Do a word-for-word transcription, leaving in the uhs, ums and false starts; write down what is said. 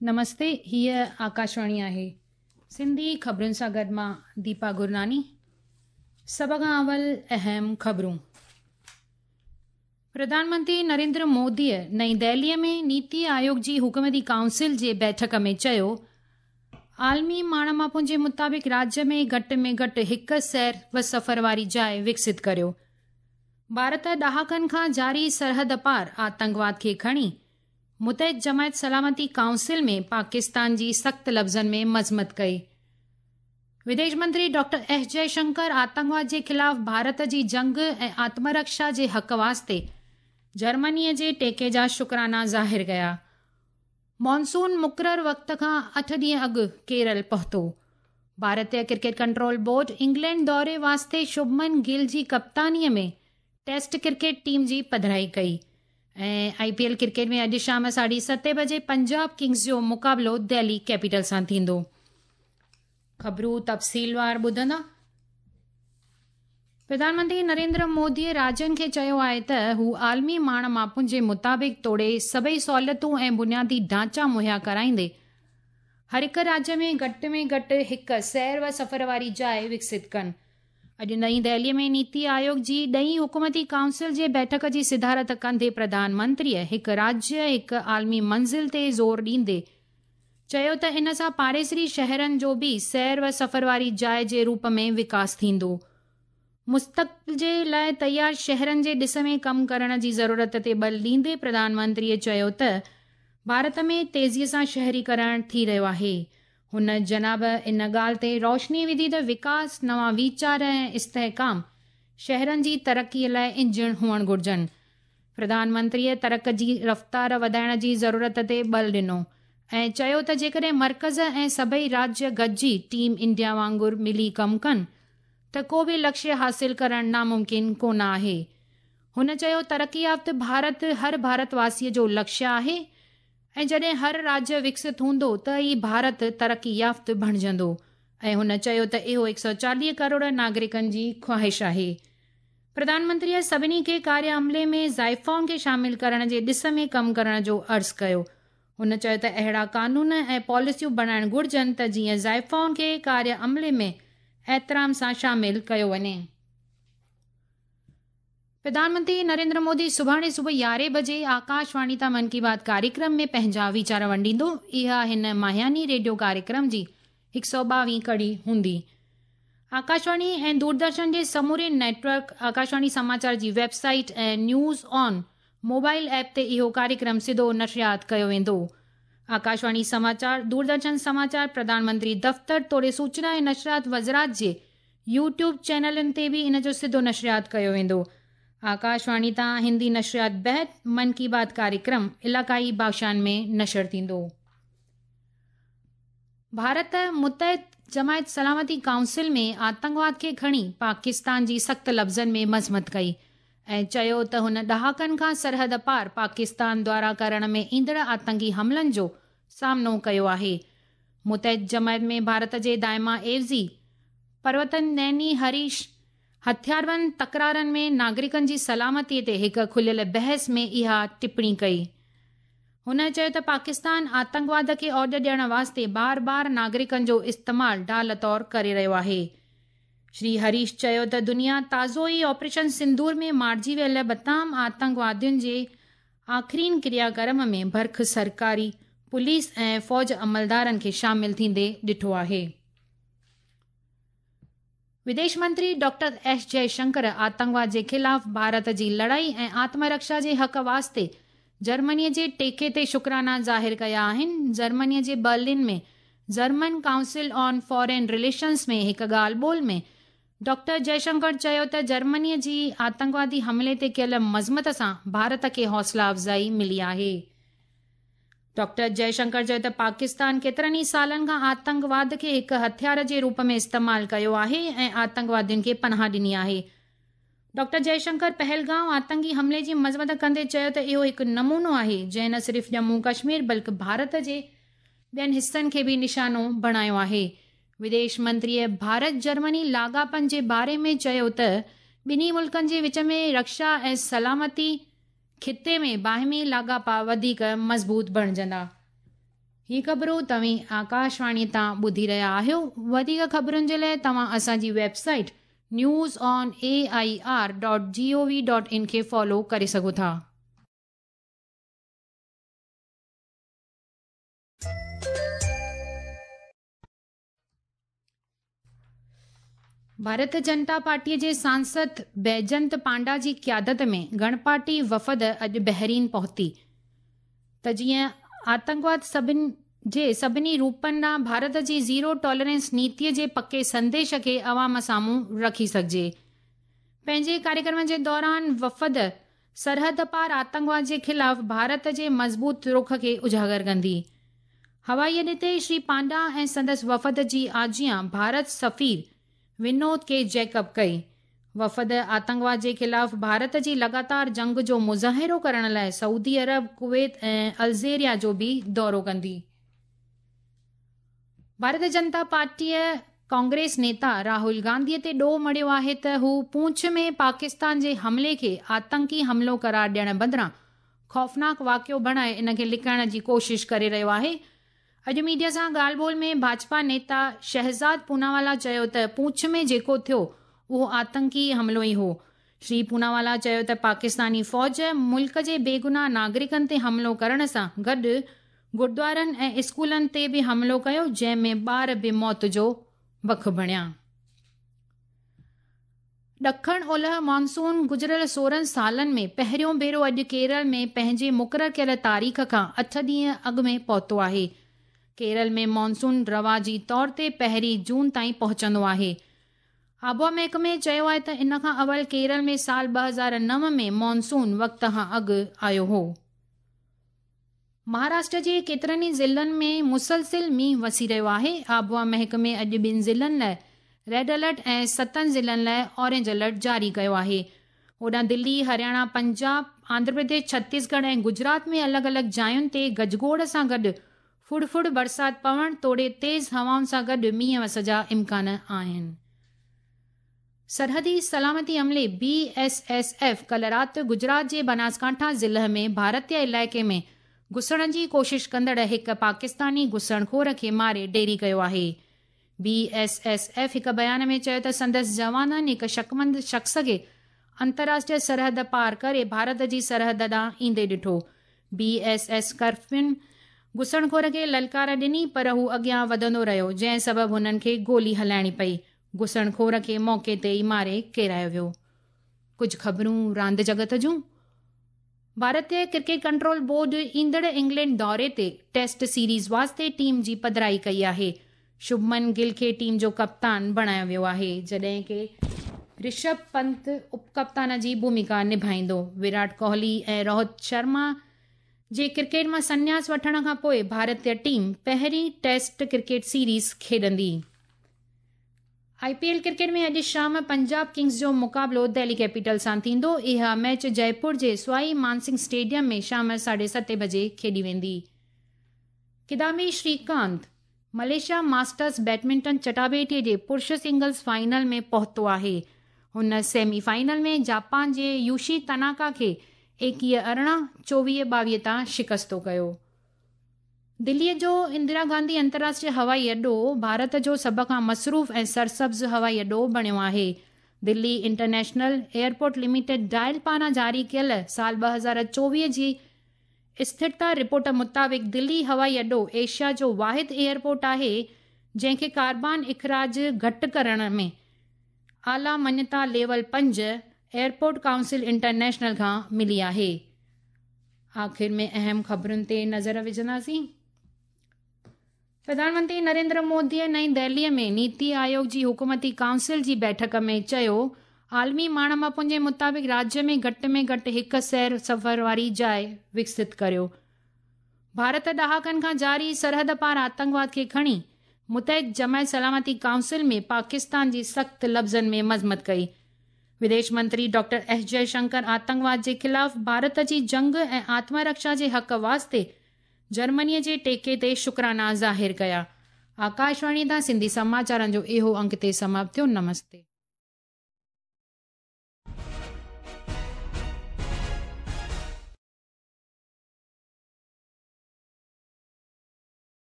نمستي، هيء آڪاشواڻي آهي. سنڌي خبرن سان گڏ مان ديپا گرناني. سڀ کان اول اهم خبرون. پرڌان منتري نريندر موديء نئين دهليء ۾ نيتي آيوگ جي حڪومتي ڪائونسل جي بيٺڪ ۾ چيو، عالمي ماڻ ماپن جي مطابق راجيه ۾ گهٽ ۾ گهٽ هڪ سير و سفر واري جاءِ وڪست ڪريو. ڀارت ڏهاڪن کان جاري سرحد پار آتنڪواد کي کڻي متحد جماعت سلامتي ڪائونسل ۾ پاڪستان جي سخت لفظن ۾ مذمت ڪئي. وديش منتري ڊاڪٽر ايس جئشنڪر آتنڪواد جي خلاف ڀارت جي جنگ ۽ آتمرڪشا جي حق واسطي جرمنيء جي ٽيڪي جا شڪرانا ظاهر ڪيا. مانسون مقرر وقت کان اٺ ڏينهن اڳ ڪيرل پهتو. ڀارتيه ڪرڪيٽ ڪنٽرول بورڊ انگلينڊ دوري واسطي شڀمن گل جي ڪپتانيء ۾ ٽيسٽ ڪرڪيٽ ٽيم جي پڌرائي ڪئي. ۽ آئي پي ايل ڪرڪيٽ ۾ اڄ شام ساڍي ستين بجي پنجاب ڪنگز جو مقابلو دهلي ڪيپيٽل سان ٿيندو. خبرون تفصيلوار ٻڌندا. پرڌان منتري نريندر موديء راجين کي چيو آهي ته هو عالمي ماڻ ماپن جي مطابق توڙي سڀئي سهوليتون ۽ بنيادي ڍانچا مهيا ڪرائيندي هر هڪ راجيه ۾ گهٽ ۾ گهٽ هڪ سير و سفر واري جاءِ وڪست ڪن. اڄ نئين دهليء ۾ نيتي آيوگ جي ڏهين حڪومتي ڪائونسل جي بيٺڪ جي صدارت ڪندي پرڌان منتريء هڪ راجيه هڪ عالمي منزل تي زور ڏيندي چيو ته ان سان پاڙيسري شهرن جو به سير و سفر واري جاءِ جي روپ ۾ وڪاس ٿيندو. مستقبل جي لاءِ تيار شهرن جي ڏس ۾ ڪم ڪرڻ جي ضرورت تي بل ڏيندي پرڌان منتريء چيو ته ڀارت ۾ تيزيءَ سان شهريڪرڻ ٿي رهيو آهي. هن جناب ان ڳالهه تي روشني وڌي ته وڪاس، نوان ويچار ۽ استحڪام شهرن جي ترقيءَ لاءِ انجڻ هئڻ گهرجن. پرڌان منتريءَ ترق جي رفتار وڌائڻ جي ضرورت تي بل ڏنو ۽ چيو ته جيڪڏهن مرڪز ۽ سڀئي راجيه گڏجي ٽيم انڊيا وانگر ملي ڪم ڪن ته ڪو به لڪشيه حاصل ڪرڻ ناممڪن ڪونه آهي. هن چيو ترقي يافته ڀارت هر ڀارتواسيءَ جو لڪشيه آهي ۽ جڏهن هر راجيه وڪست هوندو ته ئي ڀارت ترقي يافته بڻجندو. ۽ هن چيو ته اهو هڪ سؤ چاليهه ڪروڙ ناگرڪن جي خواهش آهي. پرڌان منتريءَ سڀني کي ڪاريه عملي ۾ زائفائن کي شامل ڪرڻ جي ڏس ۾ ڪم ڪرڻ جو عرض ڪيو. هن چيو ته اهڙا قانون ۽ پاليسيون بڻائڻ گهرجن ته جيئن زائفائن کي ڪاريه عملي ۾ احترام سان شامل ڪيو وڃي. پرڌان منتري نريندر مودي سڀاڻي صبح يارهين بجي آڪاشواڻي تان من ڪي بات ڪاريڪرم ۾ پنهنجا ويچار ونڊيندو. اها هن ماهياني ريڊيو ڪاريڪرم جي هڪ سؤ ٻاويهه ڪڙي هوندي. آڪاشواڻي ۽ دوردرشن جي سموري نيٽ ورڪ، آڪاشواڻي سماچار جي website ۽ news on mobile app تي اهو ڪاريڪرم سڌو نشريات ڪيو ويندو. آڪاشواڻي سماچار، دوردرشن سماچار، پرڌان منتري دفتر توڙي سوچنا ۽ نشريات وزارت جي يوٽيوب چينلن تي به ان جو سڌو نشريات ڪيو ويندو. آڪاشواڻي تان هندي نشريات بعد من ڪي بات ڪاريڪرم علائقائي ڀاشائن ۾ نشر ٿيندو. ڀارت متحد جماعت سلامتي ڪائونسل ۾ آتنڪواد کي کڻي پاڪستان جي سخت لفظن ۾ مذمت ڪئي ۽ چيو ته هن ڏهاڪن کان سرحد پار پاڪستان دوارا ڪرڻ ۾ ايندڙ آتنڪي حملن جو سامنو ڪيو آهي. متحد جماعت ۾ ڀارت جي دائما عيوضي پروتن نيني هريش هٿياربند تڪرارن ۾ ناگرڪن جي سلامتيءَ تي هڪ کليل بحث ۾ اها ٽپڻي ڪئي. هن چيو ته پاڪستان آتنڪواد کي اوڄ ڏيڻ واسطي بار بار ناگرڪن جو استعمال ڍال طور ڪري رهيو آهي. شري هريش چيو ته دنيا تازو ئي آپريشن سندور ۾ مارجي ويل بتام آتنڪوادين جي آخرين ڪرياڪرم ۾ برک سرڪاري پوليس ۽ فوج عملدارن کي شامل ٿيندي ڏٺو آهي. وديش منتري ڊاڪٽر ايس جئشنڪر آتنڪواد جي خلاف ڀارت جي لڙائي ۽ آتمرڪشا جي حق واسطي جرمنيءَ جي ٽيڪي تي شڪرانا ظاهر ڪيا آهن. جرمنيءَ جي Berlin ۾ German council on foreign relations ۾ هڪ ڳالهه ٻولهه ۾ ڊاڪٽر جئشنڪر چيو ته جرمنيءَ جي آتنڪوادي حملي تي ڪيل مذمت سان ڀارت کي حوصلا افزائي ملي آهي. ڊاڪٽر جئشنڪر چيو ته پاڪستان ڪيترن ئي سالن کان آتنڪواد کي هڪ هٿيار جي روپ ۾ استعمال ڪيو آهي ۽ آتنڪوادين کي پناهه ڏني آهي. ڊاڪٽر جئشنڪر پهلگائون آتنڪي حملي جي مذمت ڪندي چيو ته اهو هڪ نمونو آهي جنهن نه صرف ڄمون ڪشمير بلڪه ڀارت جي ٻين حصن کي به نشانو بڻايو آهي. وديش منتريءَ ڀارت جرمني لاڳاپن جي باري ۾ چيو ته ٻنهي ملڪن جي وچ ۾ رڪشا ۽ سلامتي خطي ۾ باهمي لاڳاپا وڌيڪ مضبوط بڻجندا. هي خبرون توهين آڪاشواڻي تان ٻڌي رهيا آهيو. وڌيڪ خبرن جي لاءِ توهان اسان جي website news on A I R dot G O V dot in کي فالو ڪري سگهو ٿا. ڀارت جنتا پارٽيءَ جي سانسد بيجنت پانڊا جي قيادت ۾ گڻپارٽي وفد اڄ بحرين پهتي ته جيئن آتنڪواد سڀني جي سڀني روپن ڏانهن ڀارت جي زيرو ٽالرنس نيتيءَ جي پڪي سنديش کي عوام سامهون رکي سگهجي. پنهنجي ڪاريڪرم جي دوران وفد سرحد پار آتنڪواد جي خلاف ڀارت جي مضبوط رخ کي اجاگر ڪندي. هوائي اڏي تي شري پانڊا ۽ سندس وفد جي آجيان ڀارت سفير ونود ڪي جيڪب ڪئي. وفد آتنڪواد جي خلاف ڀارت جي لڳاتار جنگ جو مظاهرو ڪرڻ لاءِ سعودي عرب، ڪويت ۽ الجيريا جو به دورو ڪندي. ڀارت جنتا پارٽيءَ ڪانگريس نيتا راهول گانڌيءَ تي ڏوهه مڙهيو آهي ته هو پونڇ ۾ پاڪستان جي حملي کي آتنڪي حملو قرار ڏيڻ بدران خوفناڪ واقعو بڻائي ان کي لڪائڻ جي ڪوشش ڪري رهيو آهي. اڄ ميڊيا سان ڳالهه ٻولهه ۾ ڀاجپا نيتا شهزاد پوناوالا چيو ته پونڇ ۾ جيڪو ٿيو اهو آتنڪي حملو ئي هو. شري پوناوالا چيو ته پاڪستاني فوج ملڪ جي بيگناهه ناگرڪن تي حملو ڪرڻ سان گڏ گردوارن ۽ اسڪولن تي به حملو ڪيو، جنهن ۾ ٻار به موت جو بک بڻيا. ڏکڻ اولهه مانسون گذريل سورهن سالن ۾ پهريون ڀيرو اڄ ڪيرل ۾ پنهنجي مقرر ڪيل تاريخ کان اٺ ڏينهن اڳ ۾ پهتو آهي. ڪيرل ۾ مانسون رواجي طور تي پهرين جون تائين پهچندو آهي. آبهوا محڪمي چيو آهي ته ان کان اول ڪيرل ۾ سال ٻه هزار نو ۾ مانسون وقت کان اڳ آيو هو. مهاراشٽر جي ڪيترن ئي ضلعن ۾ مسلسل مينهن وسي رهيو آهي. آبهوا محڪمي اڄ ٻن ضلعن لاءِ ريڊ الرٽ ۽ ستن ضلعن لاءِ اورينج الرٽ جاري ڪيو آهي. هوڏانهن دلي، هرياڻا، پنجاب، آنڌرا پرديش، ڇتيسڳڙهه ۽ گجرات ۾ الڳ الڳ جاين تي گجگوڙ سان گڏ ڦڙ ڦڙ برسات پوڻ توڙي تيز هوائن سان گڏ مينهن وس جا امڪان آهن. سرحدي سلامتي عملي بي ايس ايس ايف ڪلهه رات گجرات جي بناسڪانٺا ضلعي ۾ ڀارتيه علائقي ۾ گهسڻ جي ڪوشش ڪندڙ هڪ پاڪستاني گهسڻخور کي ماري ڍيري ڪيو آهي. بي ايس ايس ايف هڪ بيان ۾ چيو ته سندس جوانن هڪ شڪمند شخص کي انترراشٽريه سرحد پار ڪري ڀارت جي سرحد ڏانهن ايندي ڏٺو. بي ايس ايس ڪرفين گهسڻخور کي للڪار ڏني پر هو اڳيان وڌندو رهيو، جنهن سبب هنن کي گولي هلائڻي پئي. گهسڻخور کي موقعي تي ئي ماري ڪيرايو ويو. ڪجهه خبرون راند جڳت جون. ڀارتيه ڪرڪيٽ ڪنٽرول بورڊ ايندڙ انگلينڊ دوري تي ٽيسٽ سيريز واسطي ٽيم جي پڌرائي ڪئي آهي. شڀمن گل کي ٽيم جو ڪپتان بڻايو ويو آهي، جڏهن ڪه رشڀ پنت اپڪپتان جي ڀومڪا نڀائيندو. ويرات ڪوهلي ۽ روهت شرما جي ڪرڪيٽ مان سنياس وٺڻ کان پوءِ ڀارتيه ٽيم پهرين ٽيسٽ ڪرڪيٽ سيريز کيڏندي. I P L cricket ۾ اڄ شام پنجاب ڪنگز جو مقابلو دهلي ڪيپيٽل سان ٿيندو. اها ميچ جئپور جي سوائي مانسنگهه اسٽيڊيم ۾ شام ساڍي ستين بجي کيڏي ويندي. Kidambi Srikanth Malaysia masters badminton چٽاڀيٽيءَ جي پرش سنگلز فائنل ۾ پهتو آهي. هن سيمي فائنل ۾ جاپان جي يوشي تناڪا کي ايڪويهه ارڙهن چوويهه ٻاويهه تان شڪستو ڪيو. دليءَ جو اندرا گانڌي انترراشٽريه هوائي اڏو ڀارت جو سڀ کان مصروف ۽ سرسبز هوائي اڏو بڻيو آهي. دلي انٽرنيشنل ايئرپورٽ لميٽيڊ ڊائل پاران جاري ڪيل سال ٻه هزار چوويهه جي اسٿرتا رپورٽ مطابق دلي هوائي اڏو ايشيا جو واحد ايئرپورٽ آهي جنهن کي ڪاربان اخراج گهٽ ڪرڻ ۾ اعليٰ مڃتا ليول پنج ايئرپورٽ ڪائونسل انٽرنيشنل کان ملي آهي. آخر ۾ اهم خبرن تي نظر وجهنداسين. پرڌان منتري نريندر موديءَ نئين دهليءَ ۾ نيتي آيوگ جي حڪومتي ڪائونسل جي بيٺڪ ۾ چيو، عالمي ماڻ ماپن جي مطابق راجيه ۾ گهٽ ۾ گهٽ هڪ سير سفر واري جاءِ وڪست ڪريو. ڀارت ڏهاڪن کان جاري سرحد پار آتنڪواد کي کڻي متحد جماعت سلامتي ڪائونسل ۾ پاڪستان جي سخت لفظن ۾ مذمت ڪئي. وديش منتري ڊاڪٽر ايس جئشنڪر آتنڪواد جي خلاف ڀارت جي جنگ ۽ آتمرڪشا جي حق واسطي جرمنيءَ جي ٽيڪي تي شڪرانا ظاهر ڪيا. آڪاشواڻي تان سنڌي سماچارن جو اهو انگ تي سماپت ٿيو. نمستي.